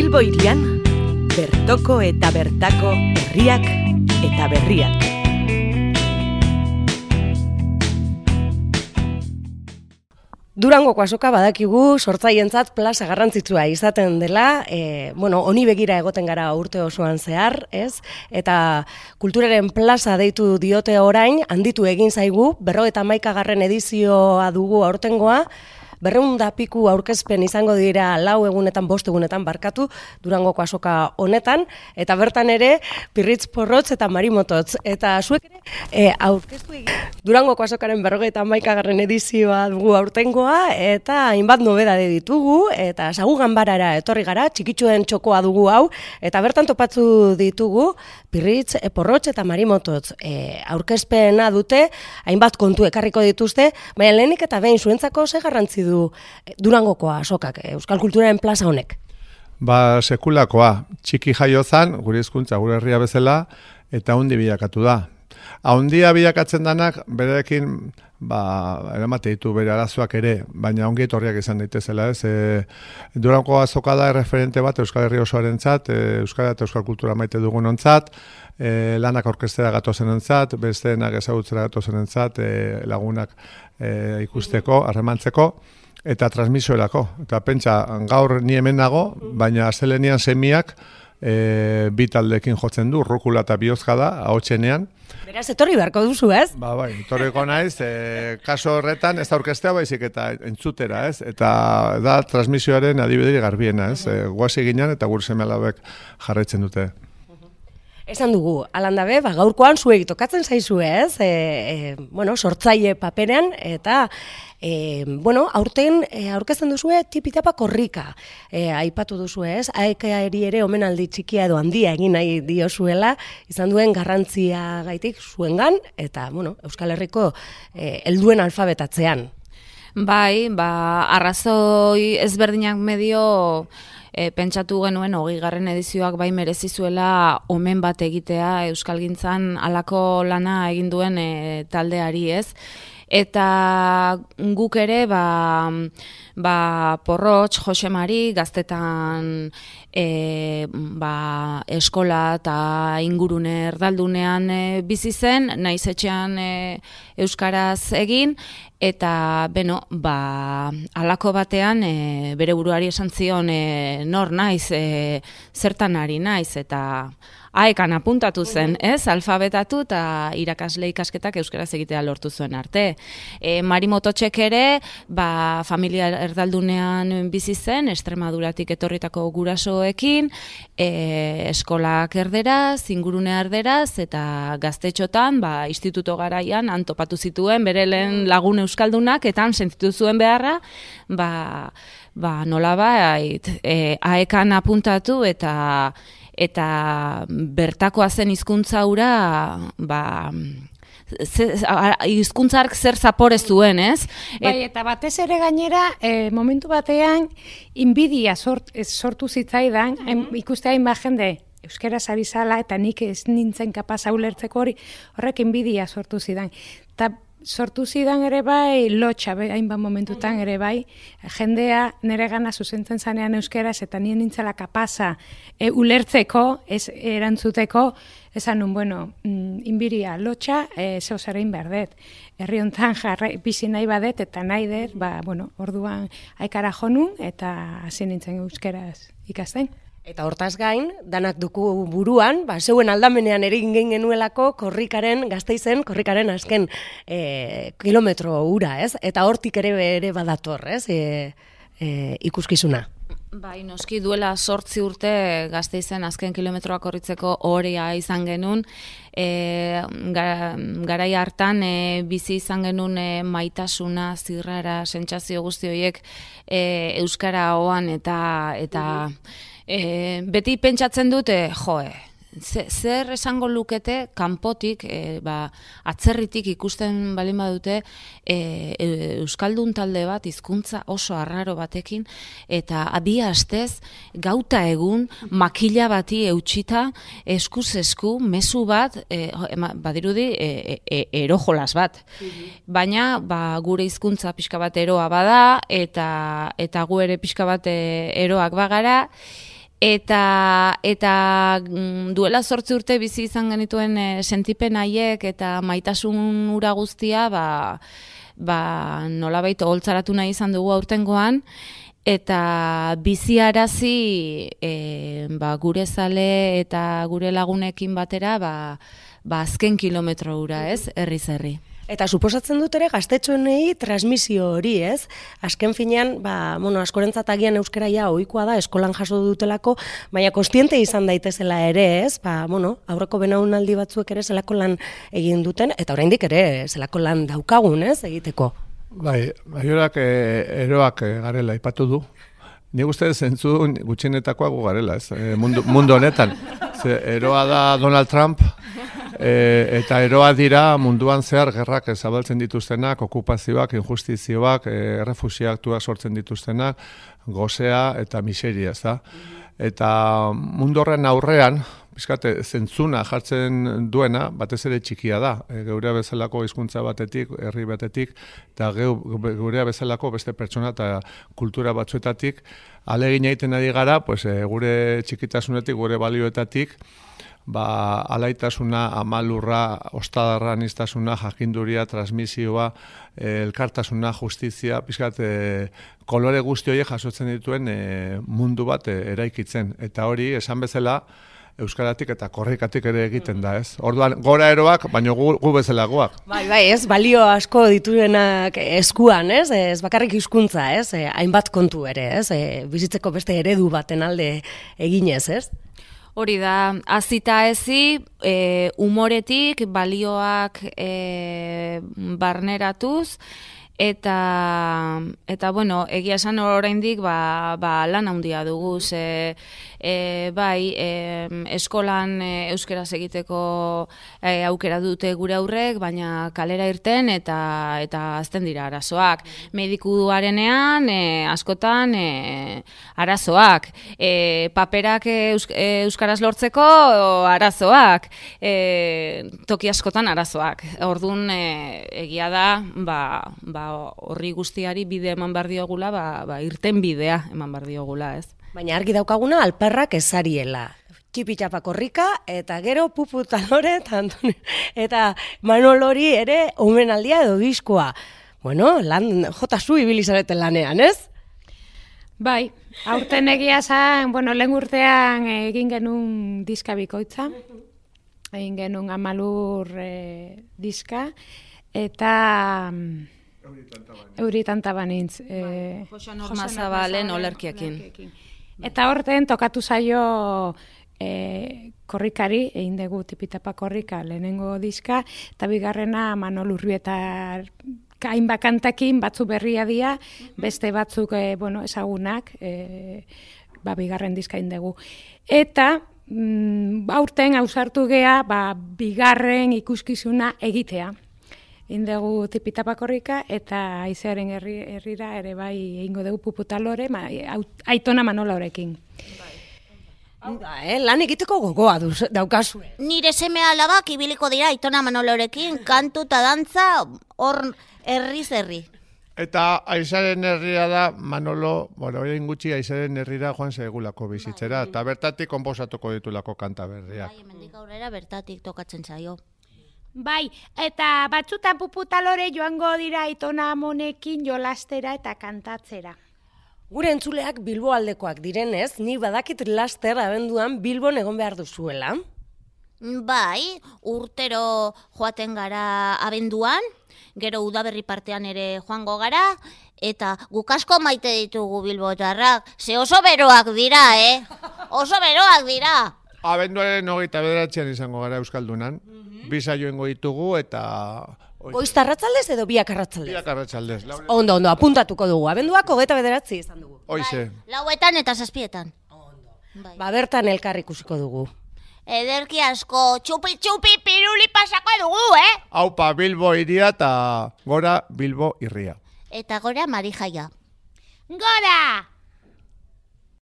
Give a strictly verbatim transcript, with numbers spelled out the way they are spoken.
Bilbo hirian, bertoko eta bertako herriak eta berriak. Durangoko azoka badakigu sortzaientzat plaza garrantzitsua izaten dela, e, bueno, honi begira egoten gara urte osoan zehar, ez? Eta kulturaren plaza deitu diote orain, handitu egin zaigu, berrogeita hamaikagarren edizioa dugu aurtengoa, berrehun da piku aurkezpen izango dira lau egunetan, bost egunetan barkatu Durangoko azoka honetan, eta bertan ere Pirritz Porrotz eta Marimototz. Eta zuek ere e, aurkeztu egin Durangoko azokaren berrogeita hamaikagarren edizioa dugu aurtengoa, eta hainbat nobedade ditugu, eta Sagu Ganbarara etorri gara, txikitsuen txokoa dugu hau, eta bertan topatzu ditugu Pirritz Porrotz eta Marimototz. E, aurkezpena dute, hainbat kontu ekarriko dituzte, baina lehenik eta behin zuentzako ze garrantzi du Durangokoa azokak, euskal kulturaren plaza honek? Ba, sekulakoa, txiki jaiozan, gure hizkuntza, gure herria bezala, eta haundi bilakatu da. Haundia bilakatzen danak, berekin, ba, eramate ditu bere arazoak ere, baina ongi etorriak izan daitezela, ez? E, Durango azoka da referente bat Euskal Herri osoarentzat, e, euskara eta euskal kultura maite dugunontzat, e, lanak orkestera gatozenentzat, besteenak ezagutzera gatozenentzat, e, lagunak e, ikusteko, harremantzeko, eta transmisioerako. Eta pentsa, gaur ni hemen nago, baina astelenian semiak e, bi taldekin jotzen du, Rukula eta Biozka da, ahotsenean. Beraz, etorri beharko duzu, ez? Ba, bai, etorriko naiz, e, kaso horretan ez da orkestea baizik eta entzutera, ez? Eta da transmisioaren adibideri garbiena, ez? E, guazi ginen eta gure seme-alabek jarraitzen dute. Esan dugu, alandabe, ba, gaurkoan zuek tokatzen zaizue, ez? E, e, bueno, sortzaile paperean, eta e, bueno, aurten e, aurkezten duzue tipitapa korrika. E, aipatu duzue, ez? Aekaeri ere omenaldi txikia edo handia egin nahi diozuela, izan duen garrantzia gaitik zuengan, eta, bueno, Euskal Herriko e, helduen alfabetatzean. Bai, ba, arrazoi ezberdinak medio e, pentsatu genuen hogeigarren edizioak bai merezi zuela omen bat egitea euskalgintzan halako lana egin duen e, taldeari, ez? Eta guk ere, ba, ba Porrotz, Jose Mari, gaztetan e, ba, eskola eta ingurune erdaldunean e, bizi zen, naiz etxean e, euskaraz egin, eta beno, ba, halako batean e, bere buruari esan zion e, nor naiz, e, zertan ari naiz, eta aekan apuntatu zen, ez? Alfabetatu eta irakasle ikasketak euskaraz egitea lortu zuen arte. E, Marimototxek ere, ba, familia erdaldunean bizi zen, Extremaduratik etorritako gurasoekin, e, eskolak erderaz, ingurune erderaz, eta gaztetxotan, ba, instituto garaian, antopatu zituen, bere lehen lagun euskaldunak, eta han sentitu zuen beharra, ba, ba nolabait, e, aekan apuntatu eta eta bertakoa zen hizkuntza hura, ba, hizkuntzark zer zapore zuen, ez? Bai, eta batez ere gainera, e, momentu batean, inbidia sort, sortu zitzaidan, mm-hmm. ikuste hainbat jende, euskaraz ari zala, eta nik ez nintzen kapaz ulertzeko hori, horrek inbidia sortu zidan. Eta sortu zidan ere bai, lotxa, hainbat momentutan ere bai, jendea nire gana zuzentzen zanean euskeraz, eta nien nintzela kapaza e, ulertzeko, ez erantzuteko, esan nun, bueno, mm, inbiria lotxa, e, zeo zerein behar dut. Herri honetan jarra, bizi nahi badet, eta nahi dut, ba, bueno, orduan aikara jonun, eta hasi nintzen euskeraz ikasten. Eta hortaz gain, danak duku buruan, ba, zeuen aldamenean ere egin genuelako korrikaren, Gasteizen, korrikaren azken e, kilometro ura, ez? Eta hortik ere ere badator, ez? E, e, ikuskizuna. Bai, noski duela sortzi urte Gasteizen azken kilometroak korritzeko horia izan genuen, e, gara, garai hartan e, bizi izan genuen e, maitasuna, zirrara, sentsazio guzti horiek e, euskara hoan eta eta E, beti pentsatzen dute, joe, zer esango lukete kanpotik, e, ba, atzerritik ikusten balin badute e, e, euskaldun talde bat hizkuntza oso arraro batekin, eta bi astez gauta egun makila bati eutxita eskuz esku mezu bat e, badirudi e, e, erojolas bat. Baina ba, gure hizkuntza pixka bat eroa bada eta, eta gu ere pixka bat eroak bagara, Eta, eta duela zortzi urte bizi izan genituen e, sentipen haiek eta maitasun ura guztia, ba, ba, nolabait oholtzaratu nahi izan dugu aurtengoan, eta biziarazi e, ba, gure zale eta gure lagunekin batera ba, ba, azken kilometro ura, ez, herriz herri. Eta suposatzen dut ere gaztetxoenei transmisio hori, ez? Azken finean, ba, bueno, askorentzat agian euskara ja ohikoa da, eskolan jaso dutelako, baina kontziente izan daitezela ere, ez? Ba, bueno, aurreko belaunaldi batzuek ere zelako lan egin duten, eta oraindik ere zelako lan daukagun, ez, egiteko. Bai, baiorak e, eroak e, garela ipatu du. Ni uste zentzu gutxienetakoa gu garela, ez? E, mundu, mundu honetan. Ze, eroa da Donald Trump, E, eta eroa dira munduan zehar gerrak zabaltzen dituztenak, okupazioak, injustizioak, e, errefuxiatuak sortzen dituztenak, gozea eta miseria, ez da? Eta mundu horren aurrean, bizkate, zentzuna jartzen duena, batez ere txikia da. E, geurea bezalako hizkuntza batetik, herri batetik, eta geurea bezalako beste pertsona eta kultura batzuetatik, alegin egiten ari gara, pues, e, gure txikitasunetik, gure balioetatik, ba, alaitasuna, amalurra, ostadarra, aniztasuna, jakinduria, transmisioa, elkartasuna, justizia, pizkat, e, kolore guzti horiek jasotzen dituen e, mundu bat e, eraikitzen. Eta hori, esan bezala, euskaratik eta korrikatik ere egiten da, ez? Orduan, gora eroak, baina gu, gu bezalagoak. Bai, bai, ez, balio asko dituenak eskuan, ez? Ez bakarrik hizkuntza, ez? E, hainbat kontu ere, ez? E, bizitzeko beste eredu baten alde eginez, ez? Hori da, azita ezi, e, umoretik, balioak e, barneratuz, eta, eta bueno, egia esan oraindik ba, ba, lan handia dugu, ze, e, bai, e, eskolan e, euskaraz egiteko e, aukera dute gure aurrek, baina kalera irten eta eta azten dira arazoak. Medikuarenean e, askotan e, arazoak, e, paperak eus, e, euskaraz lortzeko arazoak, e, toki askotan arazoak. Orduan e, egia da, ba, ba horri guztiari bide eman behar diogula, ba, ba, irten bidea eman behar diogula, ez? Baina argi daukaguna alperrak ezariela. Txipitxapa korrika, eta gero Pupu Talore, eta, eta Manolori ere omenaldia edo diskoa. Bueno, lan, jota zu ibili zareten lanean, ez? Bai, aurten egia zan, bueno, lehen urtean egin genuen diska bikoitza, egin genuen Amalur e, diska, eta Euri tanta banintz. E, Josu Normazabalen olerkiakin. Eta horten tokatu zaio e, korrikari, egin dugu tipitapa korrika lehenengo diska, eta bigarrena Manol Urbieta hainbat kantakin, batzu berria dira, beste batzuk e, bueno, ezagunak, e, ba, bigarren diska egin dugu. Eta mm, aurten ausartu gea, ba, bigarren ikuskizuna egitea. Indegu tipitapa korrika eta Aizearen herri, herrira ere bai egingo dugu Pupu Talore, ma, Aitona Manolorekin. Hau da, eh? Lan egiteko gogoa duz, daukazue. Nire seme alabak ibiliko dira Aitona Manolorekin, kantu eta dantza hor herriz herri. Eta Aizaren herria da, Manolo, bueno, orain gutxi Aizaren herrira joan segulako bizitzera, eta bertatik konposatuko ditulako kanta berriak. Bai, hemendik aurrera bertatik tokatzen zaio. Bai, eta batzutan Pupu Talore joango dira Aitona Amonekin jolastera eta kantatzera. Gure entzuleak Bilbo aldekoak direnez, ni badakit laster abenduan Bilbon egon behar duzuela. Bai, urtero joaten gara abenduan, gero udaberri partean ere joango gara, eta guk asko maite ditugu bilbotarrak, ze oso beroak dira, eh? Oso beroak dira! Abenduaren hogeita bederatzean izango gara Euskaldunan, bi saioengo ditugu eta... Goiz arratzaldez edo biak arratzaldez? Biak arratzaldez. Ondo, ondo, apuntatuko dugu. Abenduak hogeita bederatzi izan dugu. Hoize. Bai, lauetan eta zazpietan. Ondo. Bai. Ba, bertan elkar ikusiko dugu. Ederki asko, txupi-txupi piruli pasako dugu, eh? Haupa Bilbo iria eta gora Bilbo irria. Eta gora Marijaia. Gora!